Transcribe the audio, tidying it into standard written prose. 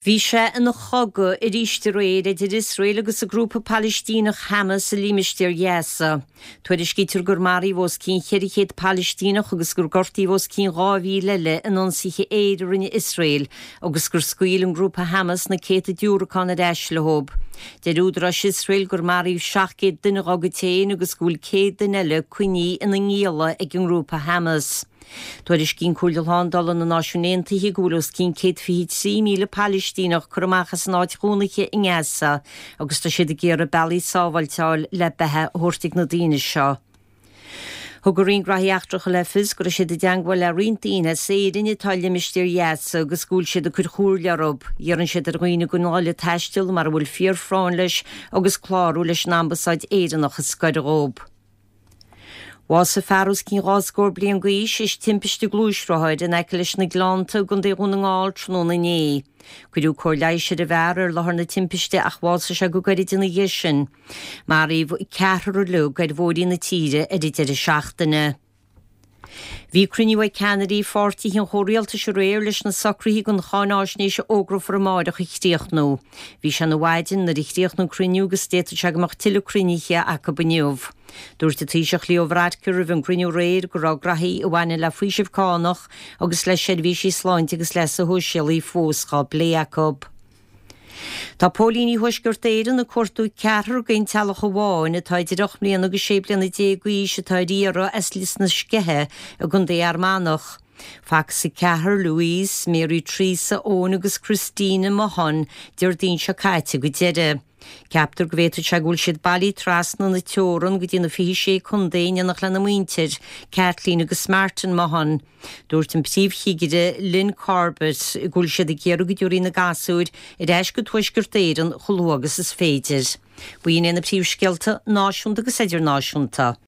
Bhí sé ina chogadh arís aréir idir Iosrael agus an grúpa Palaistíneach Hamas i limistéar Ghaza. Tuairiscítear gur maraíodh os cionn 400 Palaistíneach agus gur gortaíodh os cionn 2,000 eile in ionsaithe aeir a rinne Iosrael agus gur scaoil an grúpa Hamas na céadta diúracán ar ais leo. Deir údaráis Iosrael gur maraíodh 700 duine dá gcuid féin agus go bhfuil 100 duine eile coinnithe ina ngialla ag an ngrúpa Hamas. Tuairiscíonn Comhairle Shlándála na Náisiún Aontaithe go bhfuil os cionn 123,000 Palaistíneach curtha amach as a n-áit chónaithe i nGaza agus tá siad ag iarraidh bealaí sábháilte a fháil le beatha a thabhairt ag na daoine seo. Thug an Roinn Graithí Eachtracha le fios go raibh siad i dteangmháil le roinnt daoine as Éirinn atá i limistéar Ghaza agus go bhfuil siad ag cur comhairle orthu. Iarrann siad ar dhaoine gan a dhul ag taisteal mara bhfuil fíorphráinn leis agus clárú leis an Ambasáid Éireannach is gaire dhóibh. Bhásaigh fear os cionn dhá scór bliain d'aois théis timpiste gluaisrothair in aice leis na Gleannta i gContae Dhún na nGall tráthnóna inné. Cuireadh cóir leighis ar an bhfear ar láthair na timpiste ach bhásaigh sé go gairid ina dhiaidh sin. Maraíodh ceathrar uilig ar bhóithrí na tíre ar an deireadh seachtaine. Bhí cruinniú ag ceannairí pháirtithe an chomhrialtais aréir leis na socruithe don cháináisnéis a fhógrófar amáireach a chríochnú. Bhí sé ina mhaidin nuair a chríochnaigh an cruinniú agus d'fhéadfadh sé go mbeadh tuilleadh cruinnithe acu inniu. Dúirt an Taoiseach Leo Varadkar roimh an gcruinniú aréir go raibh graithí a bhaineann le faoiseamh cánach agus le seirbhísí sláinte agus leasa shóisialaigh fós dhá bplé acu. Tá póilíní Thuaisceart Éireann ag cuartú ceathrar den teaghlach amháin atá idir 8 mbliana agus 16 bliana d'aois atá ar iarraidh as Lios na Sceiche i gContae Fhear Manach. Facthas an ceathrar, Louise, Mary Teresa, Eoin agus Christina Mahon, Déardaoin seo caite go deireadh. Ceaptar go bhféadfadh sé go bhfuil siad bailithe trasna na teorann go dtí na 26 contae in éineacht lena muintir, Kathleen agus Martin Mahon. Dúirt an Príomh-Chigire Lynn Corbett go bhfuil siad ag iarraidh go dtabharfaí na gasúir ar ais go Tuaisceart Éireann chomh luath agus is féidir. B'in iad na príomhscéalta náisiúnta agus idirnáisiúnta.